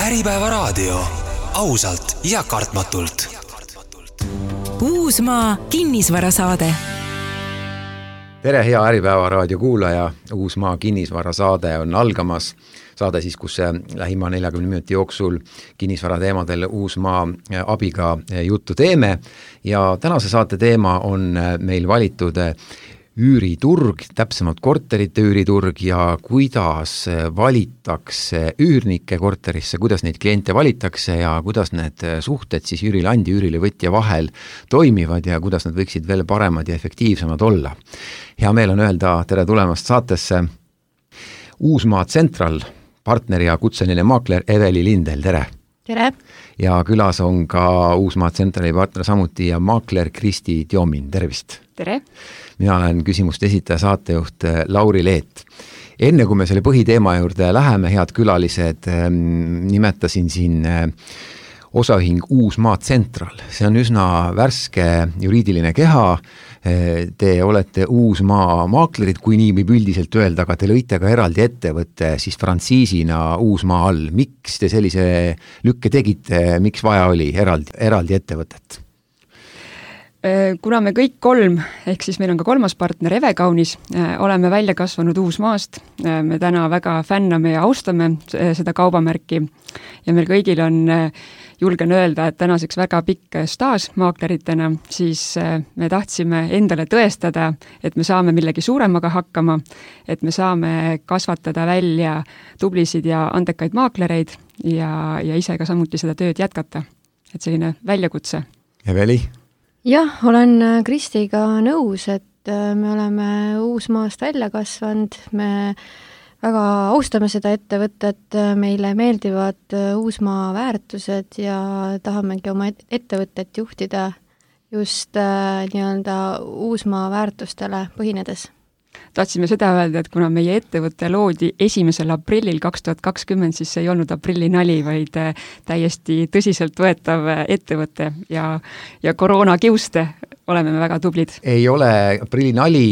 Äripäeva raadio. Ausalt ja kartmatult. Uusmaa kinnisvarasaade. Tere, hea Äripäeva raadio kuulaja. Uusmaa kinnisvarasaade on algamas. Saade siis, kus lähima 40 minuti jooksul kinnisvara teemadel Uusmaa abiga juttu teeme. Ja tänase saate teema on meil valitud üüriturg, täpsemalt korterite üüriturg ja kuidas valitakse üürnikke korterisse, kuidas neid kliente valitakse ja kuidas need suhted siis üürilandi ja üürilevõtja vahel toimivad ja kuidas nad võiksid veel paremad ja efektiivsemad olla. Hea meel on öelda tere tulemast saatesse Uusmaa Central partner ja kutseline maakler Eveli Lindel, tere! Tere! Ja külas on ka Uusmaa Centrali partner samuti ja maakler Kristi Tjomin, tervist! Tere! Mina olen küsimuste esitaja saatejuht Lauri Leet. Enne kui me selle põhiteema juurde läheme, head külalised, nimetasin siin osaühing Uusmaa Central. See on üsna värske juriidiline keha. Te olete Uusmaa maaklerid, kui nii võib üldiselt öelda, aga te lõite ka eraldi ettevõtte siis frantsiisina Uusmaa all. Miks te sellise lükke tegite, miks vaja oli eraldi ettevõtet? Kuna me kõik kolm, ehk siis meil on ka kolmas partner Eve Kaunis, oleme välja kasvanud Uusmaast. Me täna väga fänname ja austame seda kaubamärki ja meil kõigil on, julgen öelda, et tänaseks väga pikk staaž maakleritena, siis me tahtsime endale tõestada, et me saame millegi suuremaga hakkama, et me saame kasvatada välja tublisid ja andekaid maaklereid ja ise ka samuti seda tööd jätkata. Et selline väljakutse. Eveli? Jah, olen Kristiga nõus, et me oleme Uusmaast välja kasvanud, me väga austame seda ettevõtet, meile meeldivad Uusmaa väärtused ja tahamegi oma ettevõtet juhtida just nii-öelda Uusmaa väärtustele põhinedes. Tahtsime seda öelda, et kuna meie ettevõte loodi 1. aprillil 2020, siis see ei olnud aprilli nali, vaid täiesti tõsiselt võetav ettevõte ja koroona kiuste oleme me väga tublid. Ei ole aprilli nali,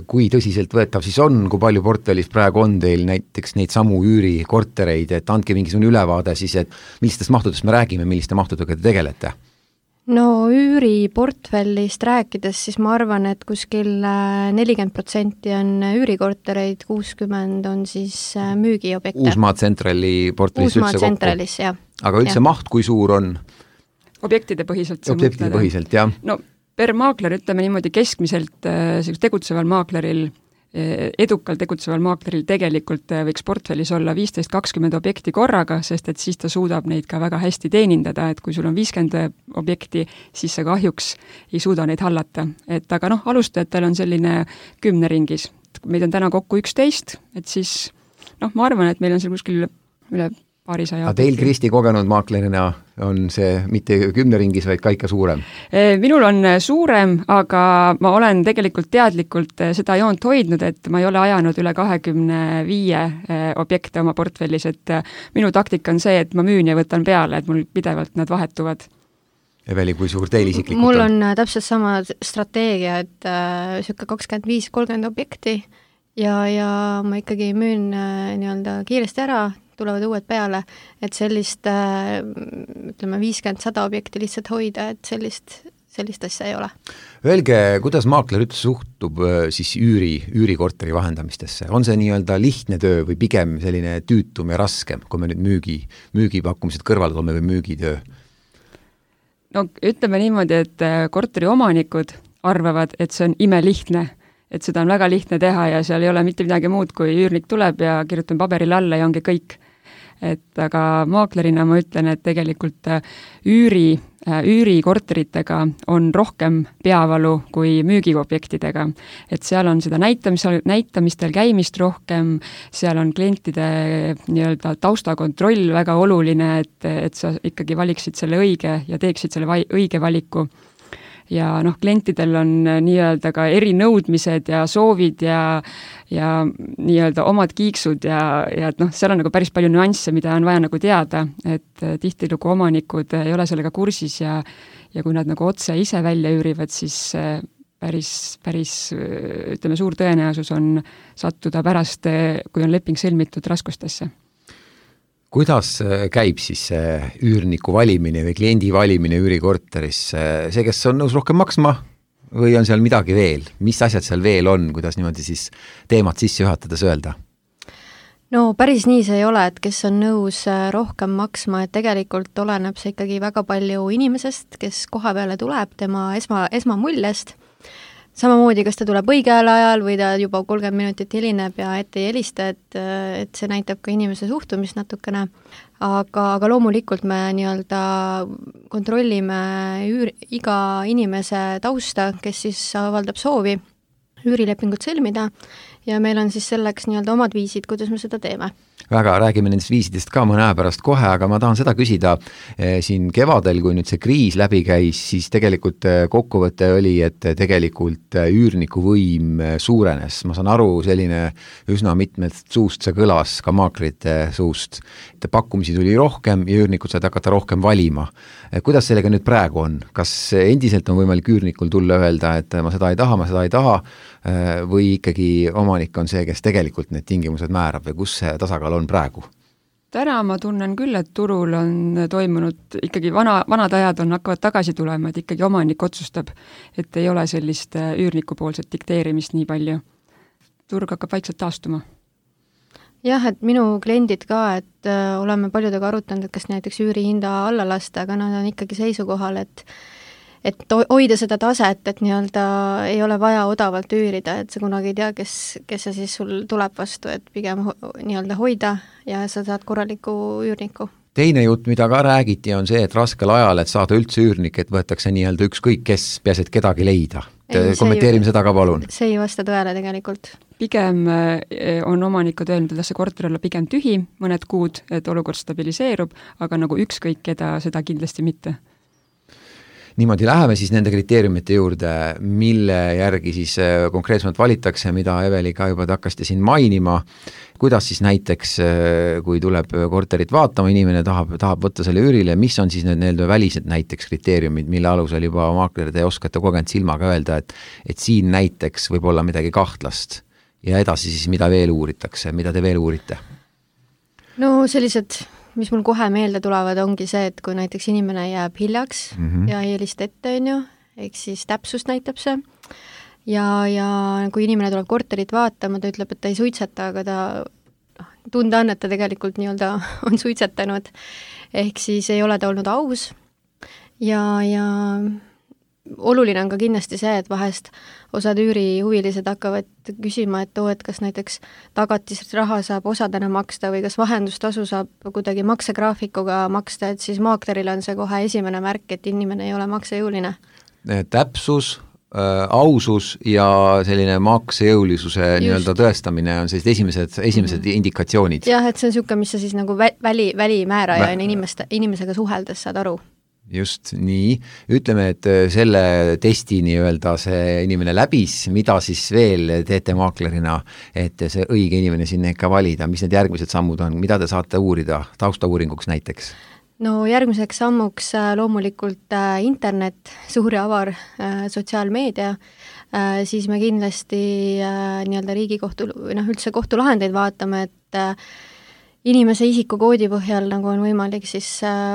kui tõsiselt võetav siis on, kui palju portfellis praegu on teil näiteks neid samu üürikortereid, et andke mingisugune ülevaade siis, et millistest mahtudest me räägime, milliste mahtudega te tegelete? No üüriportfellist rääkides, siis ma arvan, et kuskil 40% on üürikortereid, 60% on siis müügiobjekte. Uusmaa Centrali portfellis Uusmaa Centralis, jah. Aga üldse maht, kui suur on? Objektide põhiselt. Objektide põhiselt, jah. No per maakler, ütleme niimoodi keskmiselt tegutseval maakleril, edukal tegutseval maakleril tegelikult võiks portfellis olla 15-20 objekti korraga, sest et siis ta suudab neid ka väga hästi teenindada, et kui sul on 50 objekti, siis sa kahjuks ei suuda neid hallata. Aga alustajatel on selline 10 ringis. Meid on täna kokku 11, et siis ma arvan, et meil on seal kuskil üle paarisaja. Aga teil, Kristi, kogenud maaklerina on see mitte 10 ringis, vaid ka ikka suurem? Minul on suurem, aga ma olen tegelikult teadlikult seda joont hoidnud, et ma ei ole ajanud üle 25 objekte oma portfellis, et minu taktika on see, et ma müün ja võtan peale, et mul pidevalt nad vahetuvad. Eveli, kui suur teil isiklikult mul on täpselt sama strateegia, et sükke 25-30 objekti ja ma ikkagi müün nii-öelda kiiresti ära, tulevad uued peale, et sellist, ütleme, 50-100 objekti lihtsalt hoida, et sellist asja ei ole. Öelge, kuidas maakler üldse suhtub siis üürikorteri vahendamistesse? On see nii-öelda lihtne töö või pigem selline tüütum ja raskem, kui me nüüd müügipakkumised kõrvale toome või müügitöö? No ütleme niimoodi, et korteri omanikud arvavad, et see on imelihtne, et seda on väga lihtne teha ja seal ei ole mitte midagi muud, kui üürnik tuleb ja kirjutan paberile alla ja ongi kõik. Aga maaklerina ma ütlen, et tegelikult üürikorteritega on rohkem peavalu kui müügiobjektidega. Et seal on seda näitamistel käimist rohkem, seal on klientide nii-öelda taustakontroll väga oluline, et sa ikkagi valiksid selle õige ja teeksid selle õige valiku. Ja klientidel on nii-öelda ka erinõudmised ja soovid ja nii-öelda omad kiiksud ja seal on päris palju nüansse, mida on vaja teada, et tihtilugu omanikud ei ole sellega kursis ja kui nad otse ise välja üürivad, siis päris ütleme, suur tõenäosus on sattuda pärast, kui on leping sõlmitud, raskustesse. kuidas käib siis see üürniku valimine või kliendi valimine üürikorteris? See, kes on nõus rohkem maksma või on seal midagi veel? Mis asjad seal veel on, kuidas niimoodi siis teemat sisse juhatades öelda? No päris nii see ei ole, et kes on nõus rohkem maksma, et tegelikult oleneb see ikkagi väga palju inimesest, kes koha peale tuleb, tema esmamuljest. Samamoodi, kas ta tuleb õigel ajal või ta juba 30 minutit hilineb ja ette ei helista, et see näitab ka inimese suhtumist natukene. Aga loomulikult me nii-öelda kontrollime iga inimese tausta, kes siis avaldab soovi üürilepingut sõlmida ja meil on siis selleks nii-öelda omad viisid, kuidas me seda teeme. Väga, räägime nendest viisidest ka mõne aja pärast kohe, aga ma tahan seda küsida siin kevadel, kui nüüd see kriis läbi käis, siis tegelikult kokkuvõte oli, et tegelikult üürniku võim suurenes. Ma saan aru, selline üsna mitmest suust see kõlas, ka maakrite suust. Pakkumisi tuli rohkem ja üürnikud said hakata rohkem valima. Kuidas sellega nüüd praegu on? Kas endiselt on võimalik üürnikul tulla öelda, et ma seda ei taha, või ikkagi omanik on see, kes tegelikult need tingimused määrab või kus see tasakaal on praegu? Täna ma tunnen küll, et turul on toimunud ikkagi vanad ajad hakkavad tagasi tulema, et ikkagi omanik otsustab, et ei ole sellist üürniku poolset dikteerimist nii palju. Turg hakkab vaikselt taastuma. Jah, et minu kliendid ka, et oleme paljudega arutanud, et kas näiteks üürihinda alla lasta, aga nad on ikkagi seisukohal, et hoida seda taset, et nii-öelda ei ole vaja odavalt üürida, et sa kunagi ei tea, kes see siis sul tuleb vastu, et pigem nii-öelda hoida ja sa saad korraliku üürniku. Teine jutt, mida ka räägiti, on see, et raskel ajal, et saada üldse üürnik, et võetakse nii-öelda ükskõik kes, peaasi, et kedagi leida. Kommenteerime seda ka palun. See ei vasta tõele tegelikult. Pigem on omanikud öelnud, et see korter olla pigem tühi mõned kuud, et olukord stabiliseerub, aga nagu ükskõik keda, seda kindlasti mitte. Niimoodi läheme siis nende kriteeriumite juurde, mille järgi siis konkreetsemalt valitakse, mida Eveli ka juba hakkasite siin mainima. Kuidas siis näiteks, kui tuleb korterit vaatama, inimene tahab võtta selle üürile, mis on siis need välised näiteks kriteeriumid, mille alusel juba maakler te oskate kogenud silmaga öelda, et siin näiteks võib olla midagi kahtlast ja edasi siis mida veel uuritakse, mida te veel uurite? No sellised, mis mul kohe meelde tulevad, ongi see, et kui näiteks inimene jääb hiljaks ja ei helista ette, ehk siis täpsust näitab see. Ja kui inimene tuleb korterit vaatama, ta ütleb, et ta ei suitseta, aga ta tunda on, et ta tegelikult nii-öelda on suitsetanud. Ehk siis ei ole ta olnud aus. Ja oluline on ka kindlasti see, et vahest osad üürihuvilised hakkavad küsima, et kas näiteks tagatisraha saab osadena maksta või kas vahendustasu saab kuidagi maksegraafikuga maksta, et siis maakleril on see kohe esimene märk, et inimene ei ole maksejõuline. Täpsus, ausus ja selline maksejõulisuse nii-öelda tõestamine on sellised esimesed indikatsioonid. Jah, et see on niisugune, mis sa siis nagu välimääraja inimesega suheldes saad aru. Just nii. Ütleme, et selle testi nii-öelda see inimene läbis, mida siis veel teete maaklerina, et see õige inimene sinna ikka valida, mis need järgmised sammud on, mida te saate uurida taustauuringuks näiteks? No järgmiseks sammuks loomulikult internet, suur ja avar sotsiaalmeedia, siis me kindlasti nii-öelda riigikohtu, üldse kohtulahendeid vaatame, et inimese isikukoodi põhjal nagu on võimalik siis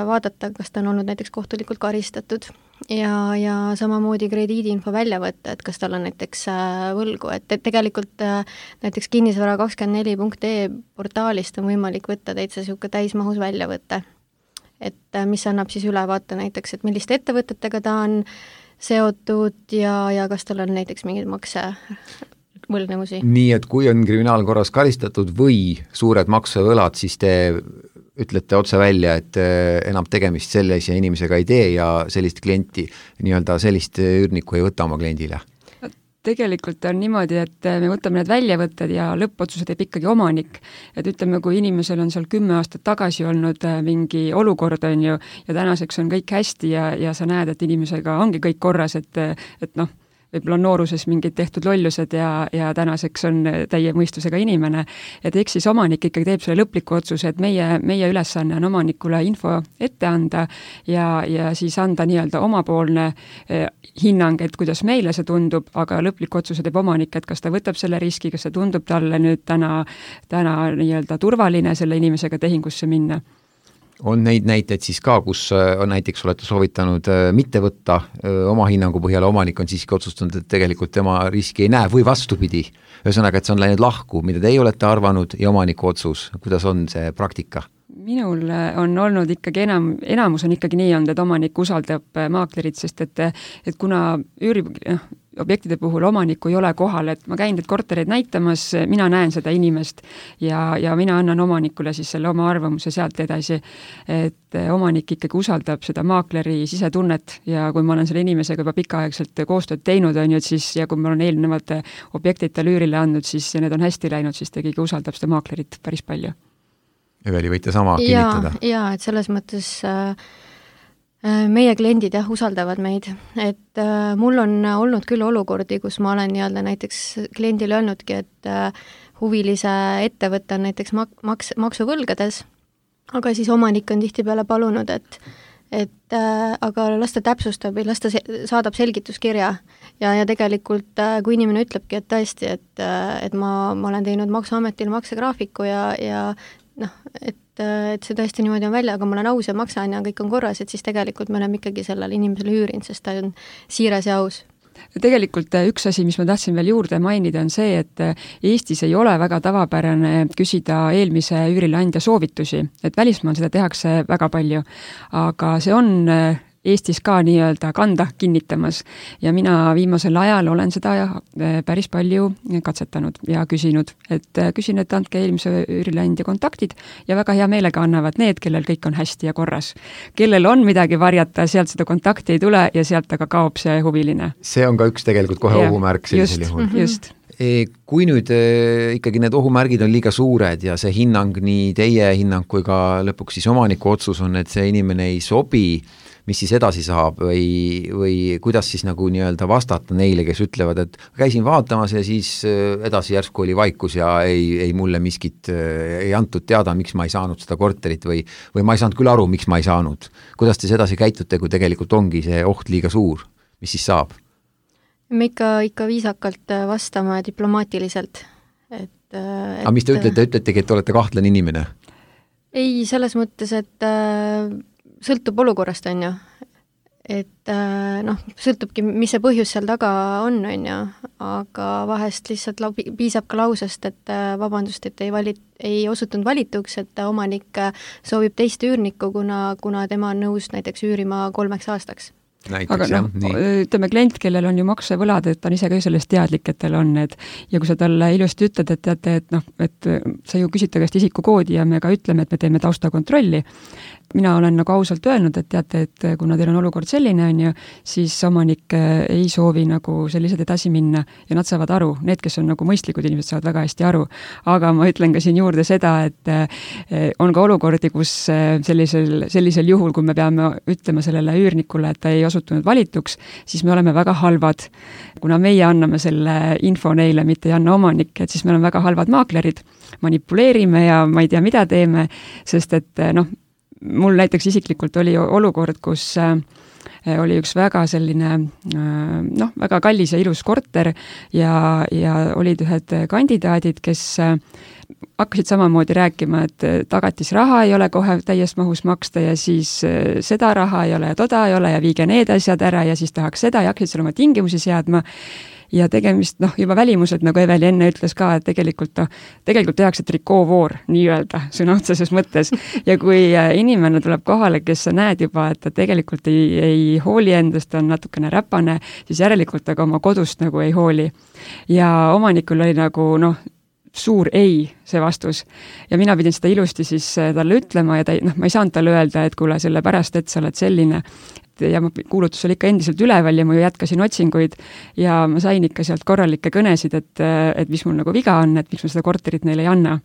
vaadata, kas ta on olnud näiteks kohtulikult karistatud ja samamoodi krediidiinfo välja võtta, et kas tal on näiteks võlgu, et tegelikult näiteks kinnisvara24.ee portaalist on võimalik võtta täitsa niisugune täismahus väljavõte, et mis annab siis ülevaate näiteks, et milliste ettevõtetega ta on seotud ja kas tal on näiteks mingid võlgnevusi. Nii, et kui on kriminaalkorras karistatud või suured maksevõlad, siis te ütlete otse välja, et enam tegemist sellise inimesega ei tee ja sellist klienti, nii-öelda sellist üürniku ei võta oma kliendile. Tegelikult on niimoodi, et me võtame need väljavõtted ja lõppotsused teeb ikkagi omanik. Et ütleme, kui inimesel on seal 10 aastat tagasi olnud mingi olukord on ju, ja tänaseks on kõik hästi ja sa näed, et inimesega ongi kõik korras, et võib-olla nooruses mingid tehtud lollused ja tänaseks on täie mõistusega inimene, et eks siis omanik ikkagi teeb selle lõpliku otsuse, et meie ülesanne on omanikule info ette anda ja siis anda nii-öelda omapoolne hinnang, et kuidas meile see tundub, aga lõpliku otsuse teeb omanik, et kas ta võtab selle riski, kas see tundub talle nüüd täna nii-öelda turvaline selle inimesega tehingusse minna. On neid näiteid siis ka, kus on näiteks olete soovitanud mitte võtta oma hinnangu põhjal, omanik on siiski otsustanud, et tegelikult tema riski ei näe või vastupidi. Ühesõnaga, et see on läinud lahku, mida teie olete arvanud ja omaniku otsus. Kuidas on see praktika? Minul on olnud ikkagi enamus on ikkagi nii olnud, et omanik usaldab maaklerit, sest et kuna objektide puhul omanikku ei ole kohal, et ma käin need kortereid näitamas, mina näen seda inimest ja mina annan omanikule siis selle oma arvamuse sealt edasi, et omanik ikkagi usaldab seda maakleri sisetunnet ja kui ma olen selle inimesega juba pikaaegselt koostööd teinud, on ju, et siis ja kui ma olen eelnevalt objektid tal üürile andnud, siis ja need on hästi läinud, siis ta ikkagi usaldab seda maaklerit päris palju. Eveli, võite sama kinnitada? Jaa, et selles mõttes meie kliendid usaldavad meid, et mul on olnud küll olukordi, kus ma olen nii-öelda näiteks kliendile öelnudki, et huvilise ettevõtte on näiteks maksuvõlgades, aga siis omanik on tihtipeale palunud, et aga las ta täpsustab või las ta saadab selgituskirja ja tegelikult kui inimene ütlebki, et tõesti, et ma olen teinud Maksuametil maksegraafiku ja et see tõesti niimoodi on välja, aga ma olen aus ja maksan ja kõik on korras, et siis tegelikult me oleme ikkagi sellele inimesele üürinud, sest ta on siiras ja aus. Tegelikult üks asi, mis ma tahtsin veel juurde mainida, on see, et Eestis ei ole väga tavapärane küsida eelmise üürileandja soovitusi, et välismaal seda tehakse väga palju, aga see on Eestis ka nii-öelda kanda kinnitamas ja mina viimasel ajal olen seda päris palju katsetanud ja küsinud, et andke eelmise üürileandja kontaktid ja väga hea meelega annavad need, kellel kõik on hästi ja korras. Kellel on midagi varjata, sealt seda kontakti ei tule ja sealt aga kaob see huviline. See on ka üks tegelikult kohe ohumärk sellisel juhul. Just. Kui nüüd ikkagi need ohumärgid on liiga suured ja see hinnang, nii teie hinnang kui ka lõpuks siis omaniku otsus on, et see inimene ei sobi, mis siis edasi saab või kuidas siis nagu nii-öelda vastata neile, kes ütlevad, et käisin vaatamas ja siis edasi järsku oli vaikus ja ei mulle miskit ei antud teada, miks ma ei saanud seda korterit või ma ei saanud küll aru, miks ma ei saanud. Kuidas te sedasi käitute, kui tegelikult ongi see oht liiga suur? Mis siis saab? Me ikka viisakalt vastama diplomaatiliselt. Aga mis te ütletegi, et olete kahtlane inimene? Ei, selles mõttes, et sõltub olukorrast, on ju. Et sõltubki, mis see põhjus seal taga on ju, aga vahest lihtsalt piisab ka lausest, et vabandust, et ei osutunud valituks, et omanik soovib teist üürnikku, kuna tema on nõus näiteks üürima 3 aastaks. Aga ütleme klient, kellel on ju maksevõlad, et ta on ise ka sellest teadlik, et tal on need ja kui sa talle ilusti ütled, et teate, et sa ju küsid ta käest isikukoodi ja me ka ütleme, et me teeme taustakontrolli. Mina olen nagu ausalt öelnud, et teate, et kuna teil on olukord selline, on ju, siis omanik ei soovi nagu sellised edasi minna ja nad saavad aru, need, kes on nagu mõistlikud inimesed, saavad väga hästi aru. Aga ma ütlen ka siin juurde seda, et on ka olukordi, kus sellisel juhul, kui me peame ütlema sellele üürnikule, et ta ei osutunud valituks, siis me oleme väga halvad. Kuna meie anname selle info neile, mitte ei anna omanik, et siis me oleme väga halvad maaklerid, manipuleerime ja ma ei tea, mida teeme, sest et mul näiteks isiklikult oli olukord, kus oli üks väga selline väga kallis ja ilus korter ja olid ühed kandidaadid, kes hakkasid samamoodi rääkima, et tagatisraha ei ole kohe täies mahus maksta ja siis seda raha ei ole ja toda ei ole ja viige need asjad ära ja siis tahaks seda ja hakkasid seal oma tingimusi seadma. Ja tegemist, juba välimused, nagu Eveli enne ütles ka, et tegelikult tehakse trikoovoor, nii-öelda, sõna otseses mõttes. Ja kui inimene tuleb kohale, kes sa näed juba, et ta tegelikult ei hooli endast, on natukene räpane, siis järelikult aga oma kodust nagu ei hooli. Ja omanikul oli nagu, suur ei see vastus. Ja mina pidin seda ilusti siis talle ütlema ja ma ei saanud talle öelda, et kuule selle pärast, et sa oled selline. Ja kuulutus oli ikka endiselt üleval ja ma ju jätkasin otsinguid ja ma sain ikka sealt korralikke kõnesid, et mis mul nagu viga on, et miks ma seda korterit neile ei anna.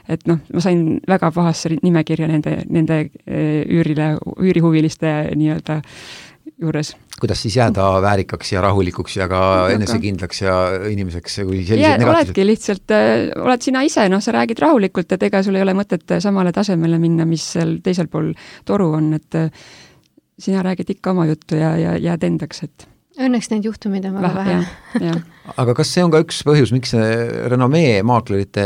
Et ma sain väga pahasse nimekirja nende üürihuviliste nii-öelda juures. Kuidas siis jääda väärikaks ja rahulikuks ja ka enesekindlaks ja inimeseks, kui sellised negatiivsed? Oledki lihtsalt, oled sina ise, sa räägid rahulikult, et ega sul ei ole mõtet samale tasemele minna, mis seal teisel pool toru on, et sina räägid ikka oma juttu ja jääd endaks, et õnneks neid juhtumeid on väga vähe. Aga kas see on ka üks põhjus, miks maaklerite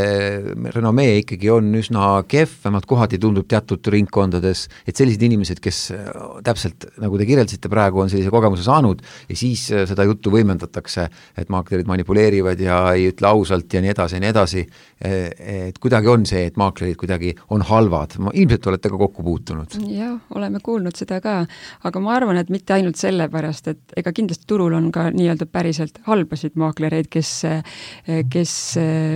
renomee ikkagi on üsna kehv, vähemalt kohati tundub teatud ringkondades, et sellised inimesed, kes täpselt, nagu te kirjeldasite praegu, on sellise kogemuse saanud ja siis seda juttu võimendatakse, et maaklerid manipuleerivad ja ei ütle ausalt ja nii edasi, et kuidagi on see, et maaklerid kuidagi on halvad. Ilmselt olete ka kokku puutunud. Jah, oleme kuulnud seda ka, aga ma arvan, et mitte ainult sellepärast, et ega kindlasti turul on ka nii-öelda päriselt halbasid maaklereid, kes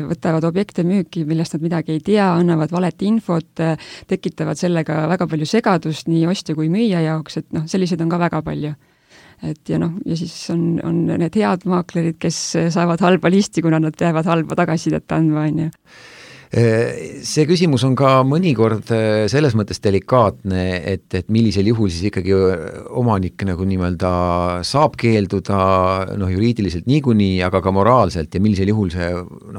võtavad objekte müüki, millest nad midagi ei tea, annavad valet infot, tekitavad sellega väga palju segadust nii ostja kui müüja jaoks, et sellised on ka väga palju. Et ja siis on need head maaklerid, kes saavad halba listi, kuna nad peavad halba tagasisidet andma, on ju. See küsimus on ka mõnikord selles mõttes delikaatne, et millisel juhul siis ikkagi omanik nagu nimelt saab keelduda juriidiliselt niikuinii, aga ka moraalselt ja millisel juhul see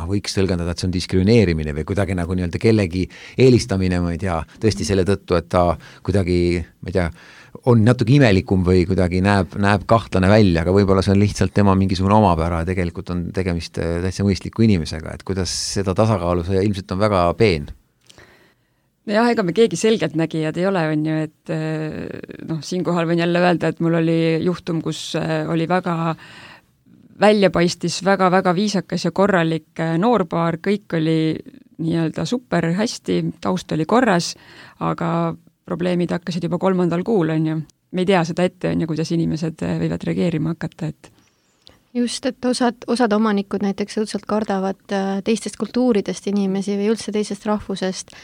võiks tõlgendada, et see on diskrimineerimine või kuidagi nagu nii-öelda kellegi eelistamine, ma ei tea, tõesti selle tõttu, et ta kuidagi, ma ei tea, on natuke imelikum või kuidagi näeb kahtlane välja, aga võib-olla see on lihtsalt tema mingisugune omapära ja tegelikult on tegemist täitsa mõistliku inimesega, et kuidas seda tasakaalu, see ilmselt on väga peen. Jah, ega me keegi selgelt nägijad ei ole, on ju, et siinkohal võin jälle öelda, et mul oli juhtum, kus oli väga väljapaistis, väga viisakas ja korralik noorpaar, kõik oli nii-öelda super hästi, taust oli korras, aga probleemid hakkasid juba 3. kuul, on ju. Me ei tea seda ette, on ju, kuidas inimesed võivad reageerima hakata, et just, et osad omanikud näiteks õudselt kardavad teistest kultuuridest inimesi või üldse teisest rahvusest,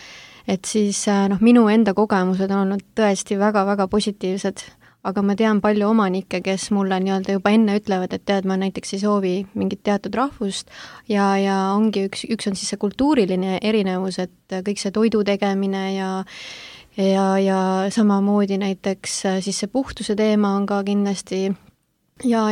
et siis minu enda kogemused on olnud tõesti väga-väga positiivsed, aga ma tean palju omanikke, kes mulle nii-öelda juba enne ütlevad, et tead, ma näiteks ei soovi mingit teatud rahvust ja ongi üks on siis see kultuuriline erinevus, et kõik see toidu tegemine ja samamoodi näiteks siis see puhtuse teema on ka kindlasti ja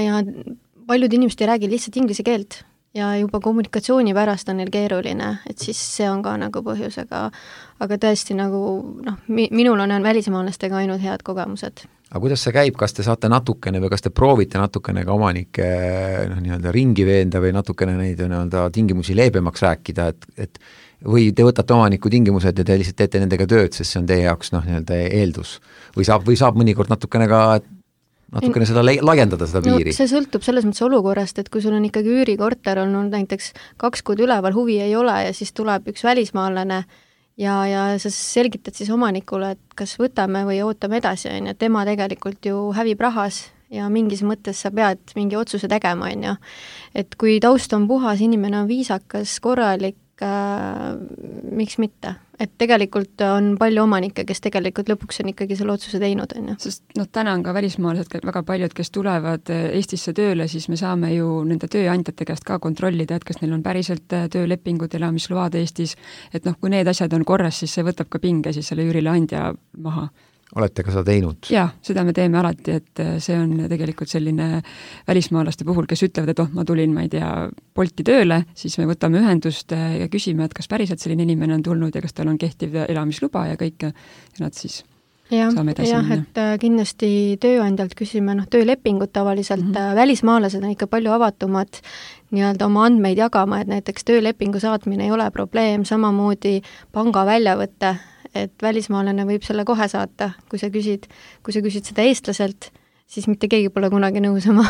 paljud inimesed ei räägi lihtsalt inglise keelt ja juba kommunikatsiooni pärast on neil keeruline, et siis see on ka nagu põhjus, aga tõesti nagu minul on välismaalastega ainult head kogemused. Aga kuidas see käib, kas te saate natukene või kas te proovite natukene ka omanikke nii-öelda ringi veenda või natukene neid nii-öelda tingimusi leebemaks rääkida, et või te võtate omaniku tingimused ja te lihtsalt teete nendega tööd, sest see on teie jaoks nii-öelda eeldus. Või saab mõnikord natukene seda laiendada, seda piiri? See sõltub selles mõttes olukorrast, et kui sul on ikkagi üürikorter olnud näiteks 2 kuud üleval, huvi ei ole ja siis tuleb üks välismaalane ja sa selgitad siis omanikule, et kas võtame või ootame edasi, on ju, tema tegelikult ju hävib rahas ja mingis mõttes sa pead mingi otsuse tegema, on ju. Et kui taust on puhas, inimene on viisakas, korralik, miks mitte? Et tegelikult on palju omanikke, kes tegelikult lõpuks on ikkagi selle otsuse teinud, on ju. Sest täna on ka välismaalased väga paljud, kes tulevad Eestisse tööle, siis me saame ju nende tööandjate käest ka kontrollida, et kas neil on päriselt töölepingud, elamisload Eestis, et kui need asjad on korras, siis see võtab ka pinge siis selle üürileandja maha. Olete ka seda teinud? Jaa, seda me teeme alati, et see on tegelikult selline välismaalaste puhul, kes ütlevad, et ma tulin, ma ei tea, Bolti tööle, siis me võtame ühendust ja küsime, et kas päriselt selline inimene on tulnud ja kas tal on kehtiv elamisluba ja kõike ja nad siis saame edasi minna. Et kindlasti tööandjalt küsime töölepingut tavaliselt, välismaalased on ikka palju avatumad nii-öelda oma andmeid jagama, et näiteks töölepingu saatmine ei ole probleem, samamoodi panga väljavõtte, et välismaalane võib selle kohe saata, kui sa küsid seda eestlaselt, siis mitte keegi pole kunagi nõus oma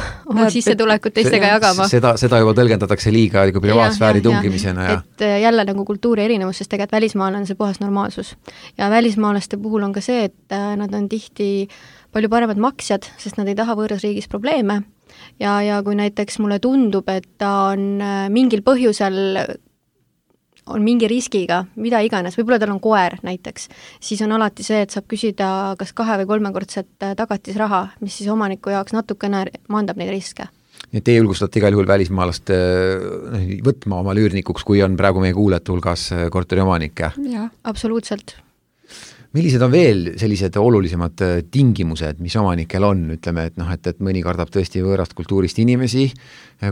sissetulekut teistega jagama. Seda juba tõlgendatakse liiga privaatsfääri tungimisena. Et jälle nagu kultuuri erinevus, sest tegelikult välismaalane on see puhas normaalsus. Ja välismaalaste puhul on ka see, et nad on tihti palju paremad maksjad, sest nad ei taha võõras riigis probleeme. Ja kui näiteks mulle tundub, et ta on mingil põhjusel on mingi riskiga, mida iganes, võib-olla tal on koer näiteks, siis on alati see, et saab küsida kas 2- või 3-kordset tagatisraha, mis siis omaniku jaoks natukene maandab neid riske. Nii et te julgustate igal juhul välismaalast võtma oma üürnikuks, kui on praegu meie kuulajate hulgas korteriomanik? Jah, absoluutselt. millised on veel sellised olulisemad tingimused, mis omanikel on, ütleme, et mõni kardab tõesti võõrast kultuurist inimesi,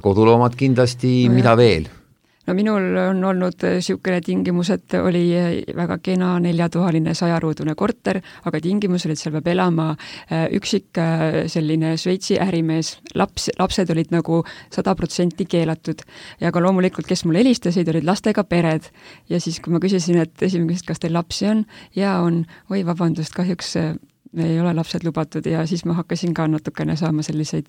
koduloomad kindlasti, mida veel? No minul on olnud niisugune tingimus, et oli väga kena 4-toaline 100-ruudune korter, aga tingimus oli, et seal peab elama üksik selline Šveitsi ärimees. Lapsed olid nagu 100% keelatud. Ja ka loomulikult, kes mulle helistasid, olid lastega pered. Ja siis, kui ma küsisin, et esimene, kas teil lapsi on? Ja on, oi vabandust, kahjuks ei ole lapsed lubatud ja siis ma hakkasin ka natukene saama selliseid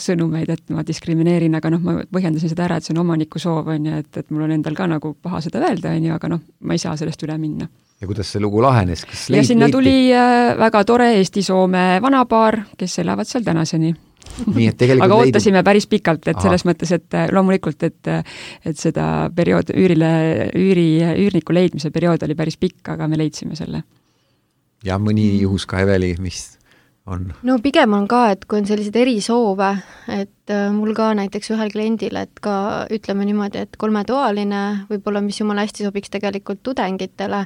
sõnumeid, et ma diskrimineerin, aga ma põhjendasin seda ära, et see on omaniku soov, et mul on endal ka nagu paha seda öelda, aga ma ei saa sellest üle minna. Ja kuidas see lugu lahenes? Ja sinna tuli väga tore Eesti-Soome vanapaar, kes elavad seal tänaseni. Nii, et aga ootasime päris pikalt, et selles mõttes, et loomulikult, et seda periood, üürniku leidmise periood oli päris pikk, aga me leidsime selle. Ja mõni juhus ka, Eveli, mis on? No pigem on ka, et kui on sellised erisoove, et mul ka näiteks ühel kliendil, et ka ütleme niimoodi, et 3-toaline, võib-olla mis jumala hästi sobiks tegelikult tudengitele,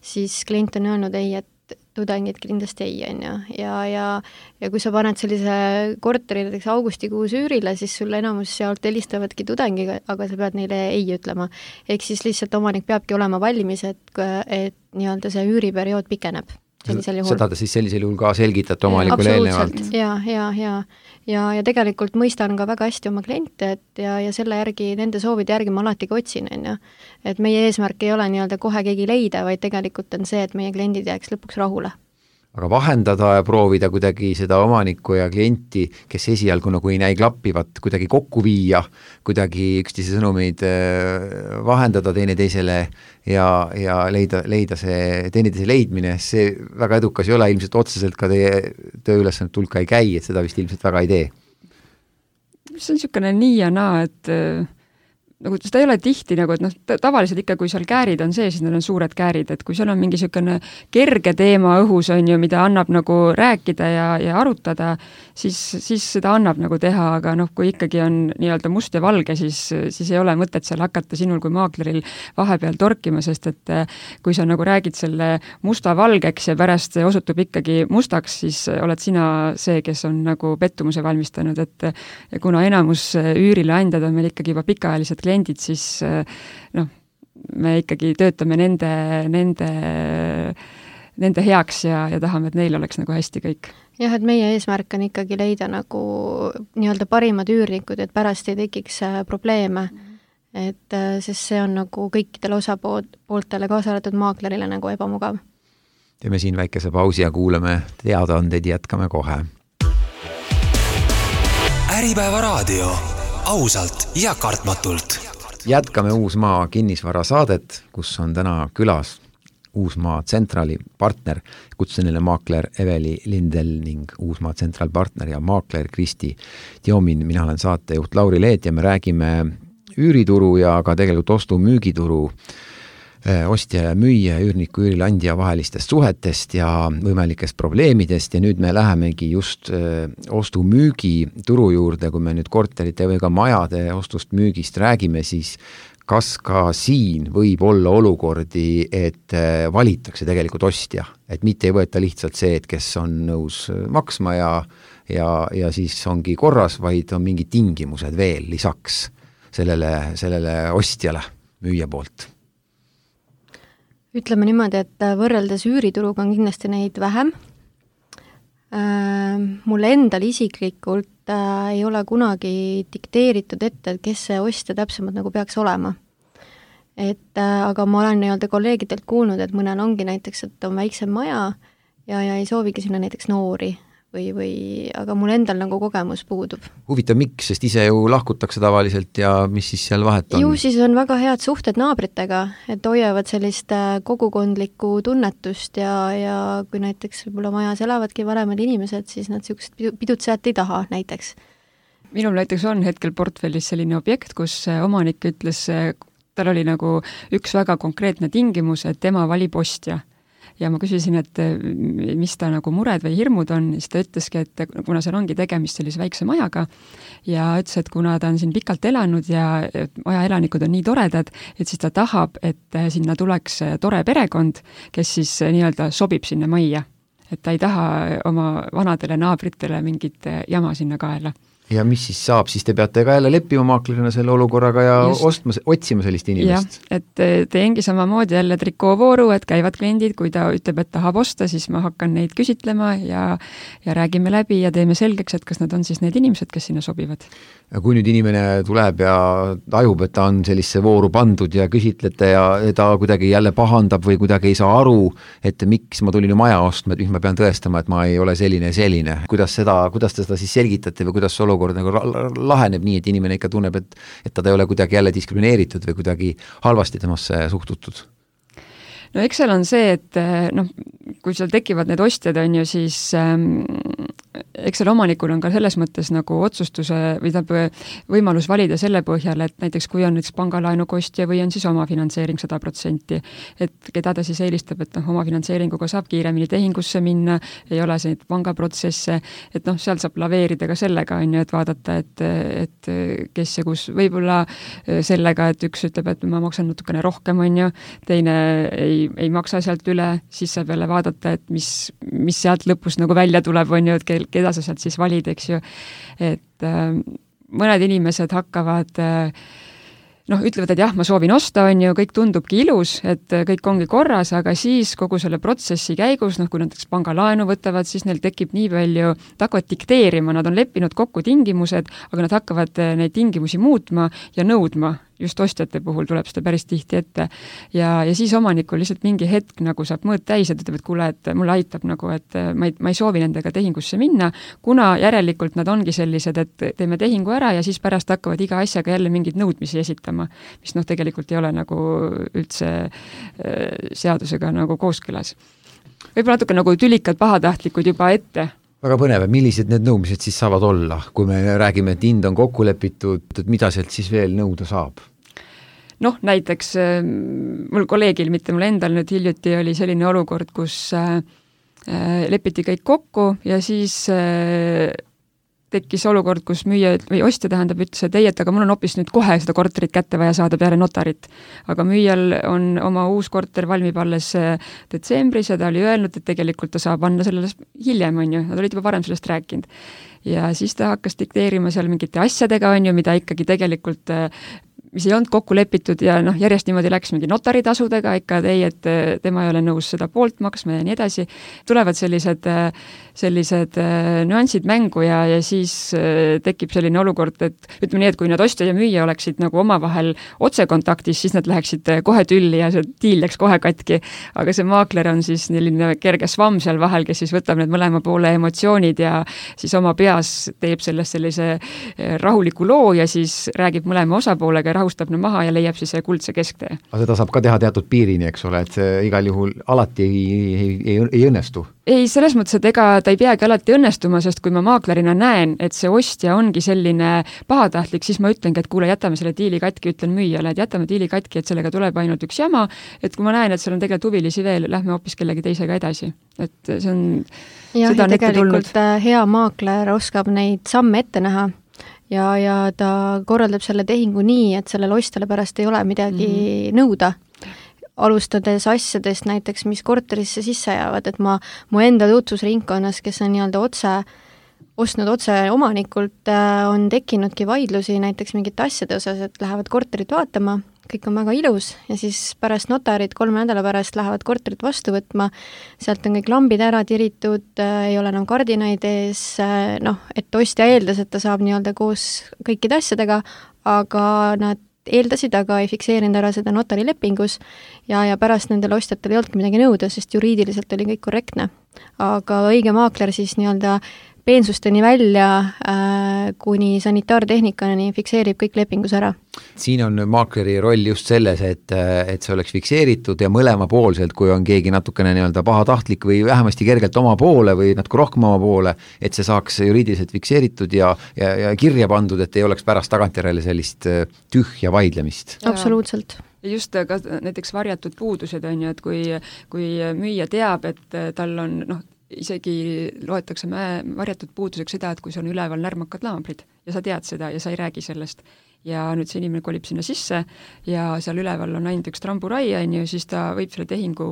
siis klient on öelnud ei, et tudengid kindlasti ei, on ju. Ja kui sa paned sellise korteri näiteks augustikuus üürile, siis sulle enamus sealt helistavadki tudengiga, aga sa pead neile ei ütlema. Ehk siis lihtsalt omanik peabki olema valmis, et nii-öelda see üüriperiood pikeneb. Seda ta siis sellisel juhul ka selgitate omanikule eelnevalt. Ja tegelikult mõistan ka väga hästi oma kliente, et ja selle järgi, nende soovide järgi ma alati ka otsin, on ju. Et meie eesmärk ei ole nii-öelda kohe keegi leida, vaid tegelikult on see, et meie kliendid jääks lõpuks rahule. Aga vahendada ja proovida kuidagi seda omanikku ja klienti, kes esialgu nagu ei näi klappivat, kuidagi kokku viia, kuidagi üksteise sõnumeid vahendada teineteisele ja leida see teineteise leidmine, see väga edukas ei ole, ilmselt otseselt ka teie tööülesannet tulka ei käi, et seda vist ilmselt väga ei tee. See on niisugune nii ja naa, et nagu seda ei ole tihti, nagu, et tavaliselt ikka, kui seal käärid on see, siis need on suured käärid, et kui seal on mingi niisugune kerge teema õhus, on ju, mida annab nagu rääkida ja arutada, siis seda annab nagu teha, aga kui ikkagi on nii-öelda must ja valge, siis ei ole mõtet seal hakata sinul kui maakleril vahepeal torkima, sest et kui sa nagu räägid selle musta valgeks ja pärast osutub ikkagi mustaks, siis oled sina see, kes on nagu pettumuse valmistanud, et kuna enamus üürileandjad on meil ikkagi juba pikaajalised kliendid, siis me ikkagi töötame nende heaks ja tahame, et neil oleks nagu hästi kõik. Jah, et meie eesmärk on ikkagi leida nagu nii-öelda parimad üürnikud, et pärast ei tekiks probleeme, et sest see on nagu kõikidele osapooltele kaasa arvatud maaklerile nagu ebamugav. Teeme siin väikese pausi ja kuulame teadaandeid, jätkame kohe. Äripäeva raadio. Ausalt ja kartmatult. Jätkame Uusmaa kinnisvara saadet, kus on täna külas Uusmaa Centrali partner, kutseline maakler Eveli Lindel ning Uusmaa Central partner ja maakler Kristi Tiomin. Mina olen saatejuht Lauri Leet ja me räägime üürituru ja ka tegelikult ostu-müügituru ostja ja müüja, üürniku, üürilandja vahelistest suhetest ja võimalikest probleemidest ja nüüd me lähemegi just ostu-müügi turu juurde, kui me nüüd korterite või ka majade ostust müügist räägime, siis kas ka siin võib olla olukordi, et valitakse tegelikult ostja, et mitte ei võeta lihtsalt see, et kes on nõus maksma ja siis ongi korras, vaid on mingid tingimused veel lisaks sellele ostjale müüja poolt. Ütleme niimoodi, et võrreldes üürituruga on kindlasti neid vähem. Mulle endal isiklikult ei ole kunagi dikteeritud ette, et kes see ostja täpsemalt nagu peaks olema. Aga ma olen nii-öelda kolleegidelt kuulnud, et mõnel ongi näiteks, et on väiksem maja ja ei soovigi sinna näiteks noori aga mul endal nagu kogemus puudub. Huvitav, miks, sest ise ju lahkutakse tavaliselt ja mis siis seal vahet on? Ju siis on väga head suhted naabritega, et hoiavad sellist kogukondlikku tunnetust ja kui näiteks võib-olla majas elavadki vanemad inimesed, siis nad niisugust pidutsejat ei taha näiteks. Minul näiteks on hetkel portfellis selline objekt, kus omanik ütles, tal oli nagu üks väga konkreetne tingimus, et tema valib ostja. ja ma küsisin, et mis ta nagu mured või hirmud on, siis ta ütleski, et kuna seal ongi tegemist sellise väikse majaga ja ütles, et kuna ta on siin pikalt elanud ja maja elanikud on nii toredad, et siis ta tahab, et sinna tuleks tore perekond, kes siis nii-öelda sobib sinna majja. Et ta ei taha oma vanadele naabritele mingit jama sinna kaela. Ja mis siis saab, siis te peate ka jälle leppima maaklerina selle olukorraga ja otsima sellist inimest. Ja, et teengi samamoodi jälle trikoovooru, et käivad kliendid, kui ta ütleb, et tahab osta, siis ma hakkan neid küsitlema ja räägime läbi ja teeme selgeks, et kas nad on siis need inimesed, kes sinna sobivad. Ja kui nüüd inimene tuleb ja tajub, et ta on sellisse vooru pandud ja küsitlete ja ta kuidagi jälle pahandab või kuidagi ei saa aru, et miks ma tulin ju maja ostma, et miks ma pean tõestama, et ma ei ole selline ja selline. Kuidas te seda siis selgitate või kuidas olukord nagu laheneb nii, et inimene ikka tunneb, et ta ei ole kuidagi jälle diskrimineeritud või kuidagi halvasti temasse suhtutud? No eks seal on see, et kui seal tekivad need ostjad, on ju, siis eks seal omanikul on ka selles mõttes nagu otsustuse või võimalus valida selle põhjal, et näiteks kui on näiteks pangalaenu kostja või on siis oma finantseering 100%, et keda ta siis eelistab, et oma finantseeringuga saab kiiremini tehingusse minna, ei ole see pangaprotsesse, et seal saab laveerida ka sellega, on ju, et vaadata, et kes ja kus võib-olla sellega, et üks ütleb, et ma maksan natukene rohkem, on ju, teine ei maksa sealt üle, siis saab jälle vaadata, et mis sealt lõpus nagu välja tuleb, on ju, et keda sa sealt siis valid, eks ju. Et mõned inimesed hakkavad ütlevad, et jah, ma soovin osta, on ju, kõik tundubki ilus, et kõik ongi korras, aga siis kogu selle protsessi käigus, kui näiteks pangalaenu võtavad, siis neil tekib nii palju, ta hakkavad dikteerima, nad on leppinud kokku tingimused, aga nad hakkavad neid tingimusi muutma ja nõudma. Just ostjate puhul tuleb seda päris tihti ette. Ja siis omanikul lihtsalt mingi hetk nagu saab mõõt täis, et ütleb, et kuule, et mulle aitab nagu, et ma ei soovi nendega tehingusse minna, kuna järelikult nad ongi sellised, et teeme tehingu ära ja siis pärast hakkavad iga asjaga jälle mingid nõudmisi esitama, mis tegelikult ei ole nagu üldse seadusega nagu kooskõlas. Võib-olla natuke nagu tülikad pahatahtlikud juba ette. Väga põnev, millised need nõudmised siis saavad olla, kui me räägime, et hind on kokku lepitud, et mida sealt siis veel nõuda saab? Näiteks mul kolleegil, mitte mul endal nüüd hiljuti oli selline olukord, kus lepiti kõik kokku ja siis tekkis olukord, kus müüja või ostja ütles, et ei, et aga mul on hoopis nüüd kohe seda korterit kätte vaja saada peale notarit. Aga müüjal on oma uus korter valmib alles detsembris ja ta oli öelnud, et tegelikult ta saab anna sellele hiljem, on ju, nad olid juba varem sellest rääkinud. Ja siis ta hakkas dikteerima seal mingite asjadega, on ju, mida ikkagi tegelikult mis ei olnud kokku lepitud ja järjest niimoodi läks mingi notaritasudega ikka, et tema ei ole nõus seda poolt maksma ja nii edasi. Tulevad sellised nüansid mängu ja siis tekib selline olukord, et ütleme nii, et kui nad ostja ja müüja oleksid nagu omavahel otsekontaktis, siis nad läheksid kohe tülli ja see diil läks kohe katki. Aga see maakler on siis selline kerge svamm seal vahel, kes siis võtab need mõlema poole emotsioonid ja siis oma peas teeb sellest sellise rahuliku loo ja siis räägib mõlema osapoolega rahustab maha ja leiab siis kuldse kesktee. Aga seda saab ka teha teatud piirini, eks ole, et see igal juhul alati ei õnnestu? Ei, selles mõttes, et ega ta ei peagi alati õnnestuma, sest kui ma maaklerina näen, et see ostja ongi selline pahatahtlik, siis ma ütlengi, et kuule, jätame selle diili katki, ütlen müüjale, et jätame diili katki, et sellega tuleb ainult üks jama, et kui ma näen, et seal on tegelikult huvilisi veel, lähme hoopis kellegi teisega edasi. Et see on, ja tegelikult hea maakler oskab neid samme ette näha ja ta korraldab selle tehingu nii, et sellele ostjale pärast ei ole midagi nõuda. Alustades asjadest näiteks, mis korterisse sisse jäävad, et mu enda tutvusringkonnas, kes on nii-öelda ostnud otse omanikult, on tekkinudki vaidlusi näiteks mingite asjade osas, et lähevad korterit vaatama, kõik on väga ilus ja siis pärast notarid 3 nädala pärast lähevad korterit vastu võtma, sealt on kõik lambid ära tiritud, ei ole enam kardinaid ees, et ostja eeldas, et ta saab nii-öelda koos kõikide asjadega, aga nad eeldasid, aga ei fikseerinud ära seda notari lepingus ja pärast nendel ostjatel ei olnudki midagi nõuda, sest juriidiliselt oli kõik korrektne. Aga õige maakler siis nii-öelda peensusteni välja kuni sanitaartehnikani fikseerib kõik lepingus ära. Siin on maakleri roll just selles, et see oleks fikseeritud ja mõlemapoolselt, kui on keegi natukene nii-öelda pahatahtlik või vähemasti kergelt oma poole või natuke rohkem oma poole, et see saaks juriidiliselt fikseeritud ja kirja pandud, et ei oleks pärast tagantjärele sellist tühja vaidlemist. Absoluutselt. just ka näiteks varjatud puudused on ju, et kui müüja teab, et tal on isegi loetakse varjatud puuduseks seda, et kui sul on üleval närmakad naabrid ja sa tead seda ja sa ei räägi sellest. Ja nüüd see inimene kolib sinna sisse ja seal üleval on ainult üks tramburai, on ju, siis ta võib selle tehingu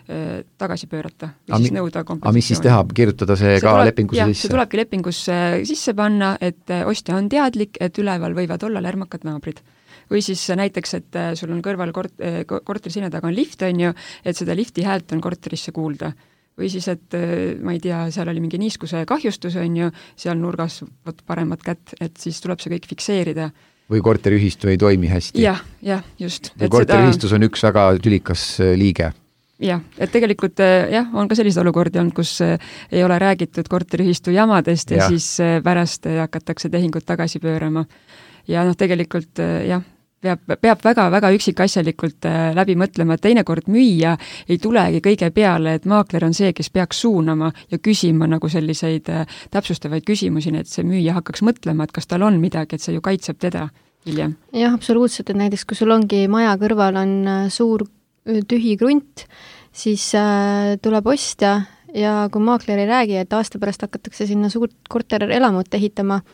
tagasi pöörata või siis nõuda kompensatsiooni. Aga mis siis teha? Kirjutada see ka lepingusse sisse? See tulebki lepingusse sisse panna, et ostja on teadlik, et üleval võivad olla lärmakad naabrid. Või siis näiteks, et sul on kõrval korteri sinna taga on lift, on ju, et seda lifti häält on korterisse kuulda. Või siis, et ma ei tea, seal oli mingi niiskuse kahjustus, on ju, seal nurgas paremat kätt, et siis tuleb see kõik fikseerida. Või korteriühistu ei toimi hästi. Jah, just. Või korteriühistus on üks väga tülikas liige. Jah, et tegelikult on ka sellised olukordi olnud, kus ei ole räägitud korteriühistu jamadest ja siis pärast hakatakse tehingut tagasi pöörama. Ja tegelikult peab väga-väga üksikasjalikult läbi mõtlema, et teinekord müüja ei tulegi kõige peale, et maakler on see, kes peaks suunama ja küsima nagu selliseid täpsustavaid küsimusi, et see müüja hakkaks mõtlema, et kas tal on midagi, et see ju kaitseb teda hiljem. Jah, absoluutselt, et näiteks kui sul ongi maja kõrval on suur tühi krunt, siis tuleb ostja ja kui maakler ei räägi, et aasta pärast hakatakse sinna suurt korterelamut ehitama,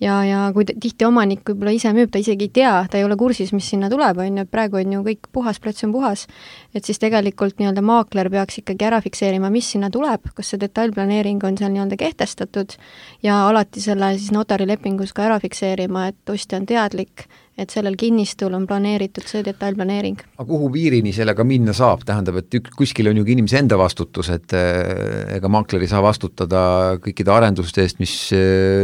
ja kui tihti omanik võib-olla ise müüb, ta isegi ei tea, ta ei ole kursis, mis sinna tuleb, on ju, praegu on ju kõik puhas, plats on puhas, et siis tegelikult nii-öelda maakler peaks ikkagi ära fikseerima, mis sinna tuleb, kas see detailplaneering on seal nii-öelda kehtestatud ja alati selle siis notarilepingus ka ära fikseerima, et ostja on teadlik, et sellel kinnistul on planeeritud see detailplaneering. Aga kuhu piirini sellega minna saab? Tähendab, et kuskil on ju inimese enda vastutus, et ega maakler ei saa vastutada kõikide arenduste eest, mis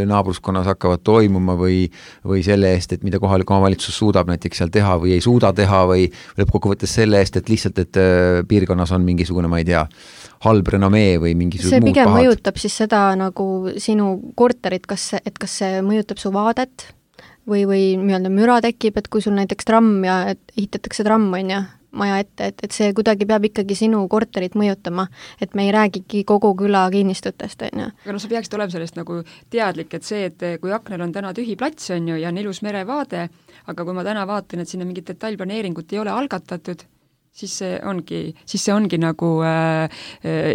naabruskonnas hakkavad toimuma või selle eest, et mida kohalik omavalitsus suudab näiteks seal teha või ei suuda teha või lõppkokkuvõttes selle eest, et lihtsalt, et piirkonnas on mingisugune, ma ei tea, halb renomee või mingisugune see muud pigem pahad. Mõjutab siis seda nagu sinu korterit, kas see mõjutab su vaadet või nii-öelda müra tekib, et kui sul näiteks tramm ja ehitatakse tramm, on ju, maja ette, et see kuidagi peab ikkagi sinu korterit mõjutama, et me ei räägigi kogu küla kinnistutest, on ju. Aga sa peaksid olema sellest nagu teadlik, et see, et kui aknal on täna tühi plats, on ju, ja on ilus merevaade, aga kui ma täna vaatan, et sinna mingit detailplaneeringut ei ole algatatud, siis see ongi nagu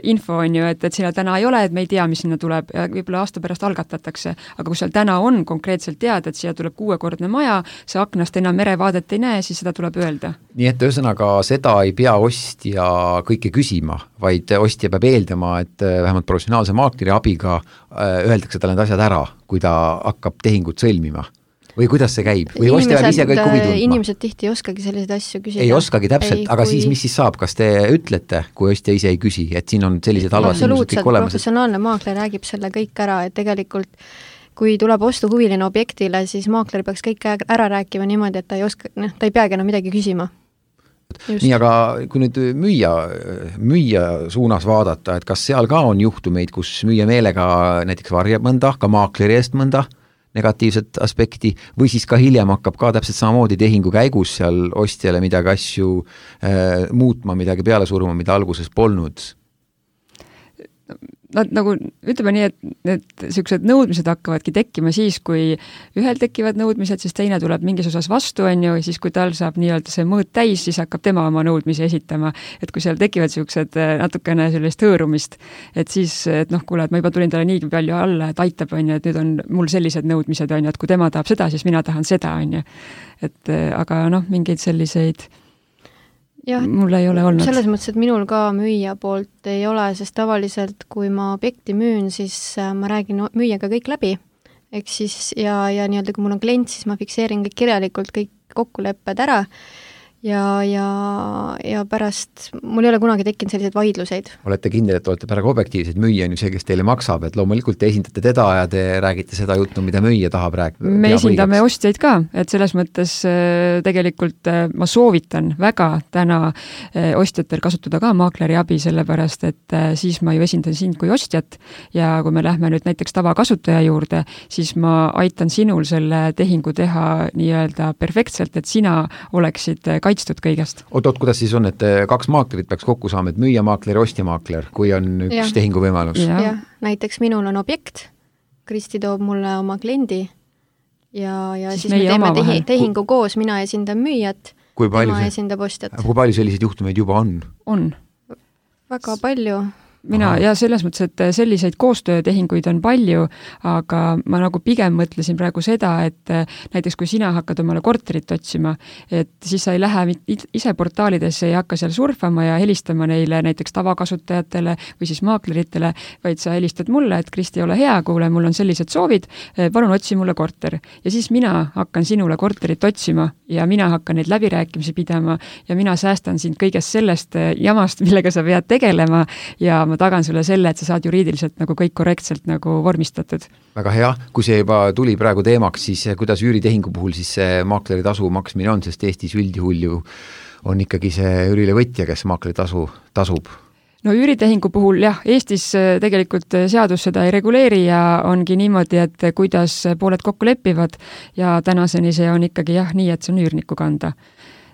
info, on ju, et sinna täna ei ole, et me ei tea, mis sinna tuleb ja võib-olla aasta pärast algatatakse, aga kui seal täna on konkreetselt teada, et siia tuleb 6-kordne maja, see aknast enam merevaadet ei näe, siis seda tuleb öelda. Nii et ühesõnaga seda ei pea ostja kõike küsima, vaid ostja peab eeldama, et vähemalt professionaalse maakleri abiga öeldakse talle need asjad ära, kui ta hakkab tehingut sõlmima. Või kuidas see käib? Või ostja peab ise kõik huvi tundma? Inimesed tihti ei oskagi selliseid asju küsida. Ei oskagi täpselt, aga siis mis siis saab? Kas te ütlete, kui ostja ise ei küsi, et siin on sellised halvad tingimused kõik olemas? Professionaalne maakler räägib selle kõik ära, et tegelikult kui tuleb ostuhuviline objektile, siis maakler peaks kõik ära rääkima niimoodi, et ta ei peagi enam midagi küsima. Just. Nii, aga kui nüüd müüja suunas vaadata, et kas seal ka on juhtumeid, kus müüja meelega näiteks varjab mõnda, ka maakleri eest mõnda negatiivset aspekti, või siis ka hiljem hakkab ka täpselt samamoodi tehingu käigus seal ostjale midagi asju muutma, midagi peale suruma, mida alguses polnud? Nad nagu, ütleme nii, et need sellised nõudmised hakkavadki tekkima siis, kui ühel tekivad nõudmised, siis teine tuleb mingis osas vastu, on ju, siis kui tal saab nii-öelda see mõõt täis, siis hakkab tema oma nõudmisi esitama. Et kui seal tekivad sellised natukene sellist hõõrumist, et siis, et kuule, et ma juba tulin talle nii palju alla, et aitab, on ju, et nüüd on mul sellised nõudmised, on ju, et kui tema tahab seda, siis mina tahan seda, on ju. Et aga mingeid selliseid mul ei ole olnud. Selles mõttes, et minul ka müüja poolt ei ole, sest tavaliselt, kui ma objekti müün, siis ma räägin müüjaga kõik läbi. Ehk siis, ja nii-öelda, kui mul on klient, siis ma fikseerin kõik kirjalikult kõik kokkulepped ära ja pärast, mul ei ole kunagi tekkinud selliseid vaidluseid. Olete kindel, et olete päraga objektiivsed, müüja on ju see, kes teile maksab, et loomulikult te esindate teda ja te räägite seda juttu, mida müüja tahab rääkida. Me esindame ostjaid ka, et selles mõttes tegelikult ma soovitan väga täna ostjatel kasutada ka maakleri abi, sellepärast, et siis ma ju esindan sind kui ostjat ja kui me lähme nüüd näiteks tavakasutaja juurde, siis ma aitan sinul selle tehingu teha nii-öelda perfektselt, et sina oleksid kaitstud kõigest. Oot, kuidas siis on, et 2 maaklerit peaks kokku saama, et müüjamaakler ja ostjamaakler, kui on üks tehinguvõimalus? Ja, näiteks minul on objekt, Kristi toob mulle oma kliendi ja siis me teeme tehingu koos, mina esindan müüjat tema esindab ostjat. Kui palju selliseid juhtumeid juba on? On. Väga palju. Ja selles mõttes, et selliseid koostöötehinguid on palju, aga ma nagu pigem mõtlesin praegu seda, et näiteks kui sina hakkad omale korterit otsima, et siis sa ei lähe ise portaalidesse, ei hakka seal surfama ja helistama neile näiteks tavakasutajatele või siis maakleritele, vaid sa helistad mulle, et Kristi, ole hea, kuule, mul on sellised soovid, palun otsi mulle korter. Ja siis mina hakkan sinule korterit otsima ja mina hakkan neid läbirääkimisi pidama ja mina säästan sind kõigest sellest jamast, millega sa pead tegelema ja ma tagan sulle selle, et sa saad juriidiliselt nagu kõik korrektselt nagu vormistatud. Väga hea, kui see juba tuli praegu teemaks, siis kuidas üüritehingu puhul siis see maakleri tasu maksmine on, sest Eestis üldjuhul ju on ikkagi see üürilevõtja, kes maakleri tasu tasub. No üüritehingu puhul jah, Eestis tegelikult seadus seda ei reguleeri ja ongi niimoodi, et kuidas pooled kokku lepivad ja tänaseni see on ikkagi jah nii, et see on üürniku kanda.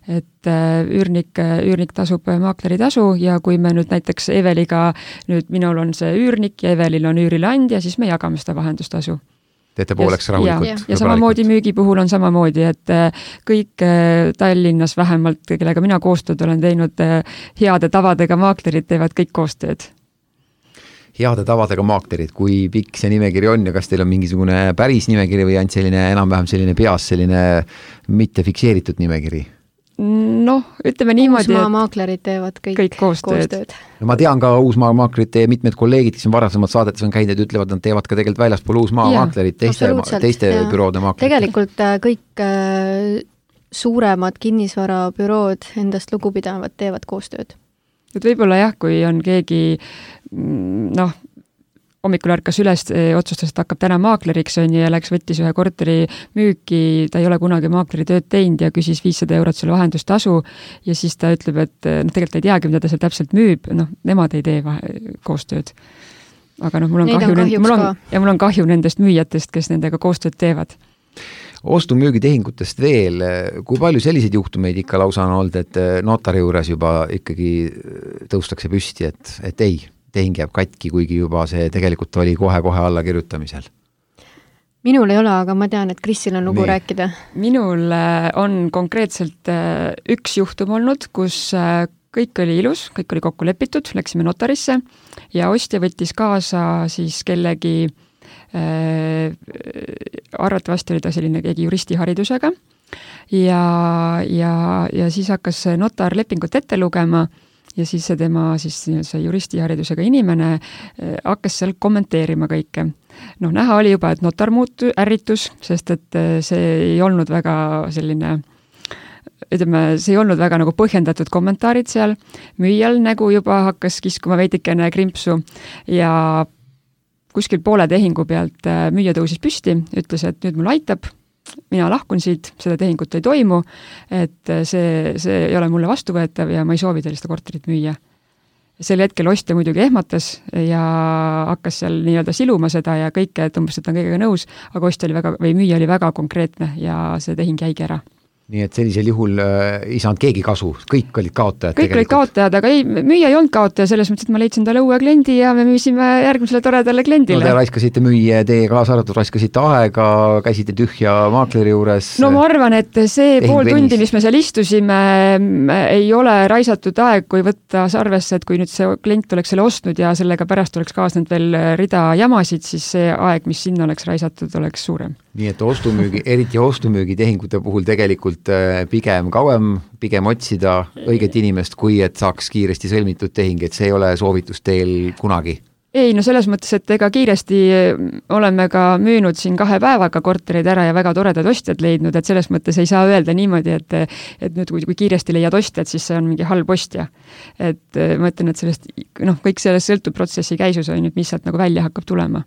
Et üürnik tasub maakleri tasu ja kui me nüüd näiteks Eveliga, nüüd minul on see üürnik ja Evelil on üürileandja, siis me jagame seda vahendustasu. Teete pooleks rahulikult. Ja samamoodi müügi puhul on samamoodi, et kõik Tallinnas vähemalt, kellega mina koostööd olen teinud heade tavadega maaklerid, teevad kõik koostööd. Heade tavadega maaklerid, kui pikk see nimekiri on ja kas teil on mingisugune päris nimekiri või ainult selline enam-vähem selline peas selline mitte fikseeritud nimekiri? Noh, ütleme niimoodi, Uusmaa maaklerid teevad kõik koostööd. No ma tean ka Uusmaa maaklerid ja mitmed kolleegid, kes on varasemalt saadetes on käinud, ütlevad, nad teevad ka tegelikult väljaspool Uusmaa maaklerid, teiste büroode maaklerid. Tegelikult kõik suuremad kinnisvarabürood endast lugupidavad teevad koostööd. Et võib-olla jah, kui on keegi hommikul ärkas üles, otsustas, et hakkab täna maakleriks on ja läks, võttis ühe korteri müüki, ta ei ole kunagi maakleri tööd teinud ja küsis 500 eurot selle vahendustasu ja siis ta ütleb, et tegelikult ei teagi, mida ta seal täpselt müüb, nemad ei tee koostööd. Aga mul on kahju nendest müüjatest, kes nendega koostööd teevad. Ostu-müügitehingutest veel, kui palju selliseid juhtumeid ikka lausa on olnud, et notari juures juba ikkagi tõustakse püsti, et ei, tehing jääb katki, kuigi juba see tegelikult oli kohe-kohe alla kirjutamisel? Minul ei ole, aga ma tean, et Kristil on lugu rääkida. Minul on konkreetselt üks juhtum olnud, kus kõik oli ilus, kõik oli kokku lepitud, läksime notarisse ja ostja võttis kaasa siis kellegi arvatavasti oli ta selline keegi juristiharidusega ja siis hakkas notar lepingut ette lugema ja siis see tema see juristiharidusega inimene hakkas seal kommenteerima kõike. Näha oli juba, et notar ärritus, sest et see ei olnud väga selline see ei olnud väga nagu põhjendatud kommentaarid seal. Müüjal nägu juba hakkas kiskuma veidikene krimpsu ja kuskil poole tehingu pealt müüja tõusis püsti, ütles, et nüüd mul aitab, mina lahkun siit, seda tehingut ei toimu, et see ei ole mulle vastuvõetav ja ma ei soovi teile seda korterit müüa. Sel hetkel ostja muidugi ehmatas ja hakkas seal nii-öelda siluma seda ja kõike, et umbes, et on kõigega nõus, aga müüja oli väga konkreetne ja see tehing jäigi ära. Nii et sellisel juhul ei saanud keegi kasu, kõik olid kaotajad. Kõik olid kaotajad, aga müüja ei olnud kaotaja, selles mõttes, et ma leidsin talle uue kliendi ja me müüsime järgmisele toredale kliendile. Te raiskasite müüa, teie kaasa arvatud raiskasite aega, käisite tühja maakleri juures. No ma arvan, et see pool tundi, mis me seal istusime, ei ole raisatud aeg, kui võtta arvesse, et kui nüüd see klient oleks selle ostnud ja sellega pärast oleks kaasnud veel rida jamasid, siis see aeg, mis sinna oleks raisatud, oleks suurem. Nii et eriti ostumüügitehingute puhul tegelikult pigem kauem, pigem otsida õiget inimest, kui et saaks kiiresti sõlmitud tehing, et see ei ole soovitus teil kunagi? Ei, no selles mõttes, et ega kiiresti oleme ka müünud siin 2 päevaga korterid ära ja väga toredad ostjad leidnud, et selles mõttes ei saa öelda niimoodi, et nüüd kui kiiresti leiad ostjad, siis see on mingi halb ostja. Et ma ütlen, et sellest, kõik sellest sõltub protsessi käisus on, mis sealt nagu välja hakkab tulema.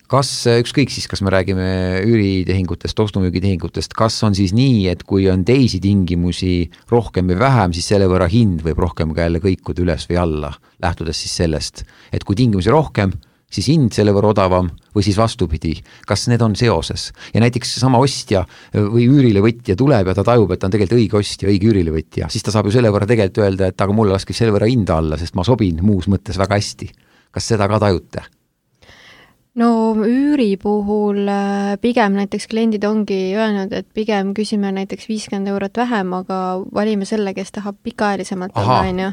Kas ükskõik siis, kas me räägime üüritehingutest, ostumüügitehingutest, kas on siis nii, et kui on teisi tingimusi rohkem või vähem, siis selle võrra hind võib rohkem ka jälle kõikuda üles või alla, lähtudes siis sellest, et kui tingimusi rohkem, siis hind selle võrra odavam või siis vastupidi, kas need on seoses? Ja näiteks sama ostja või üürilevõtja tuleb ja ta tajub, et ta on tegelikult õige ostja, õige üürilevõtja, siis ta saab ju selle võrra tegelikult öelda, et aga mulle laskis selle võrra hinda alla, sest ma sobin muus mõttes väga hästi. Kas seda ka tajute? no üüri puhul pigem näiteks kliendid ongi öelnud, et pigem küsime näiteks 50 eurot vähem, aga valime selle, kes tahab pikaajalisemalt olla, on ju.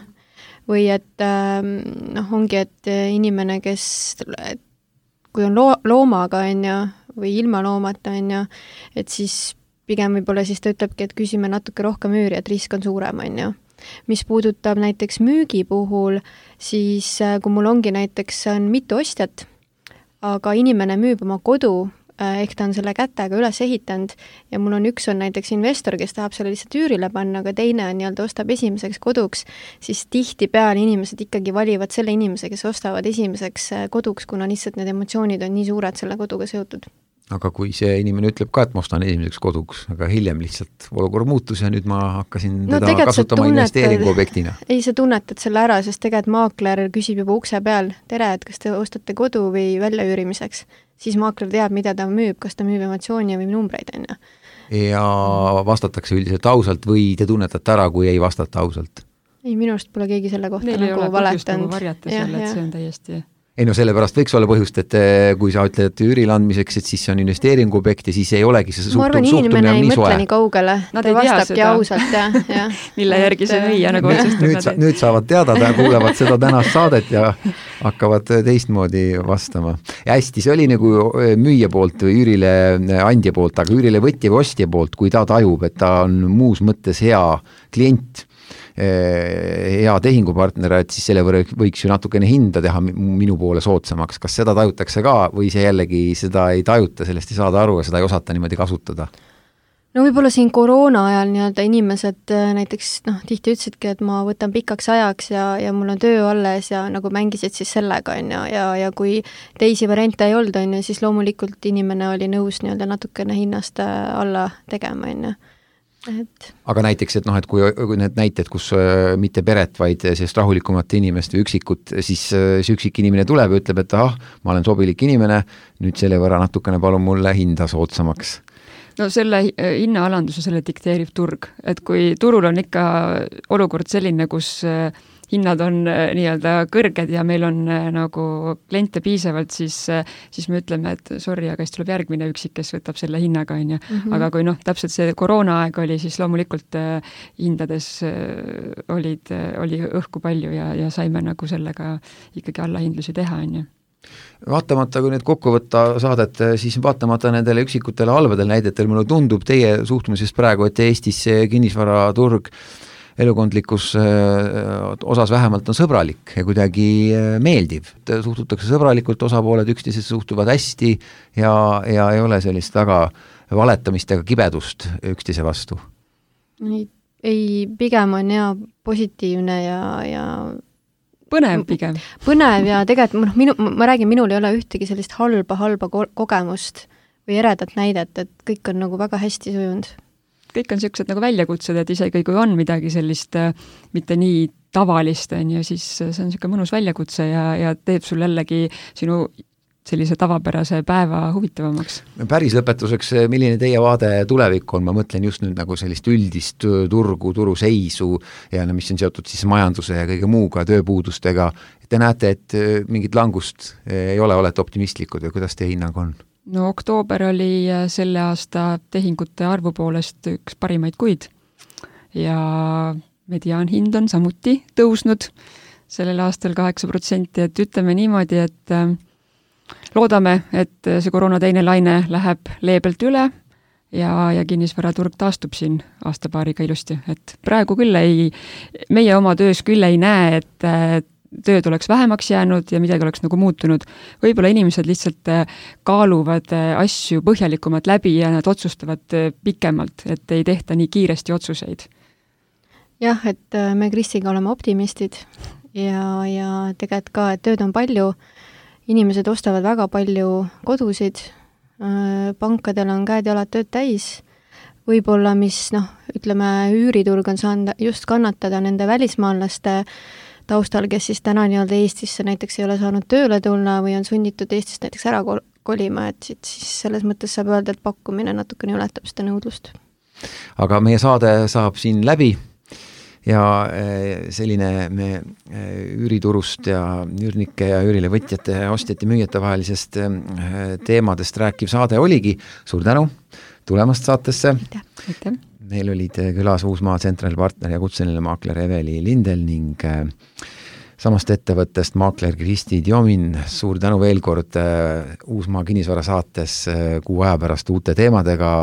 Või et ongi, et inimene, kes, kui on loomaga, on ju, või ilma loomata, on ju, et siis pigem võib-olla siis ta ütlebki, et küsime natuke rohkem üüri, et risk on suurem, on ju. Mis puudutab näiteks müügi puhul, siis kui mul ongi näiteks on mitu ostjat, aga inimene müüb oma kodu, ehk ta on selle kätega üles ehitanud ja mul on üks on näiteks investor, kes tahab selle lihtsalt üürile panna, aga teine on nii-öelda ostab esimeseks koduks, siis tihtipeale inimesed ikkagi valivad selle inimese, kes ostavad esimeseks koduks, kuna lihtsalt need emotsioonid on nii suured selle koduga seotud. Aga kui see inimene ütleb ka, et ma ostan esimeseks koduks, aga hiljem lihtsalt olukord muutus ja nüüd ma hakkasin teda kasutama investeeringuobjektina. Ei, sa tunnetad selle ära, sest tegelikult maakler küsib juba ukse peal, tere, et kas te ostate kodu või väljaüürimiseks. Siis maakler teab, mida ta müüb, kas ta müüb emotsiooni või numbreid, on ju. Ja vastatakse üldiselt ausalt või te tunnetate ära, kui ei vastata ausalt? Ei, minu arust pole keegi selle kohta Neil nagu valetanud. Varjata selle, et see on täiesti... Ei no sellepärast võiks olla põhjust, et kui sa ütled üürile andmiseks, et siis see on investeeringuobjekt ja siis ei olegi see suhtumine ei mõtle nii kaugele, ta vastabki ausalt ja. Mille järgi see müüa nagu otsustab. Nüüd saavad teada, kuulevad seda tänast saadet ja hakkavad teistmoodi vastama. Ja hästi, see oli nagu müüja poolt või üürile andja poolt, aga üürile võtja või ostja poolt, kui ta tajub, et ta on muus mõttes hea klient, hea tehingupartner, et siis selle võiks ju natukene hinda teha minu poole soodsamaks. Kas seda tajutakse ka või see jällegi seda ei tajuta, sellest ei saada aru ja seda ei osata niimoodi kasutada? No võib-olla siin koroona ajal nii-öelda inimesed näiteks tihti ütlesidki, et ma võtan pikaks ajaks ja mul on töö alles ja nagu mängisid siis sellega, on ju, ja kui teisi variante ei olnud, on ju, siis loomulikult inimene oli nõus nii-öelda natukene hinnast alla tegema, on ju. Aga näiteks, et et kui need näited, kus mitte peret, vaid sellist rahulikumat inimest või üksikut, siis see üksik inimene tuleb ja ütleb, et ma olen sobilik inimene, nüüd selle võrra natukene palun mulle hinda soodsamaks. No selle hinnaalanduse selle dikteerib turg, et kui turul on ikka olukord selline, kus hinnad on nii-öelda kõrged ja meil on nagu kliente piisavalt, siis me ütleme, et sorry, aga siis tuleb järgmine üksik, kes võtab selle hinnaga, on ju. Aga kui täpselt see koroonaaeg oli, siis loomulikult hindades oli õhku palju ja saime nagu sellega ikkagi allahindlusi teha, on ju. Vaatamata, kui nüüd kokku võtta saadet, siis vaatamata nendele üksikutele halbadele näidetel, mulle tundub teie suhtumisest praegu, et Eestis see kinnisvaraturg elukondlikus osas vähemalt on sõbralik ja kuidagi meeldiv. Suhtutakse sõbralikult, osapooled üksteisest suhtuvad hästi ja ei ole sellist väga valetamist ega kibedust üksteise vastu. Ei, pigem on hea positiivne ja põnev pigem. Põnev ja tegelikult ma räägin, minul ei ole ühtegi sellist halba kogemust või eredat näidet, et kõik on nagu väga hästi sujunud. Kõik on sellised nagu väljakutsed, et isegi kui on midagi sellist mitte nii tavalist, siis see on selline mõnus väljakutse ja teeb sul jällegi sinu sellise tavapärase päeva huvitavamaks. Päris lõpetuseks, milline teie vaade tulevik on? Ma mõtlen just nüüd nagu sellist üldist turuseisu ja mis on seotud siis majanduse ja kõige muuga, tööpuudustega. Te näete, et mingit langust ei ole, olete optimistlikud ja kuidas teie hinnang on? No oktoober oli selle aasta tehingute arvu poolest üks parimaid kuid ja mediaanhind on samuti tõusnud sellel aastal 8%, et ütleme niimoodi, et loodame, et see koroona teine laine läheb leebelt üle ja kinnisvaraturg taastub siin aastapaariga ilusti, et praegu küll meie oma töös küll ei näe, et tööd oleks vähemaks jäänud ja midagi oleks nagu muutunud. Võib-olla inimesed lihtsalt kaaluvad asju põhjalikumalt läbi ja nad otsustavad pikemalt, et ei tehta nii kiiresti otsuseid. Jah, et me Kristiga oleme optimistid ja tegelikult ka, et tööd on palju, inimesed ostavad väga palju kodusid, pankadel on käed jalad tööd täis, võib-olla mis, ütleme, üüriturg on saanud just kannatada nende välismaalaste taustal, kes siis täna nii-öelda Eestisse näiteks ei ole saanud tööle tulla või on sunnitud Eestist näiteks ära kolima, et siis selles mõttes saab öelda, et pakkumine natukene ületab seda nõudlust. Aga meie saade saab siin läbi ja selline me üüriturust ja üürnike ja üürile võtjate, ostjate, müüjate vahelisest teemadest rääkiv saade oligi. Suur tänu tulemast saatesse. Aitäh. Meil olid külas Uusmaa Central partner ja kutseline maakler Eveli Lindel ning samast ettevõttest maakler Kristi Djomin. Suur tänu veel kord Uusmaa kinnisvara saates kuu aja pärast uute teemadega.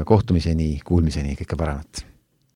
Kohtumiseni, kuulmiseni, kõike paremat!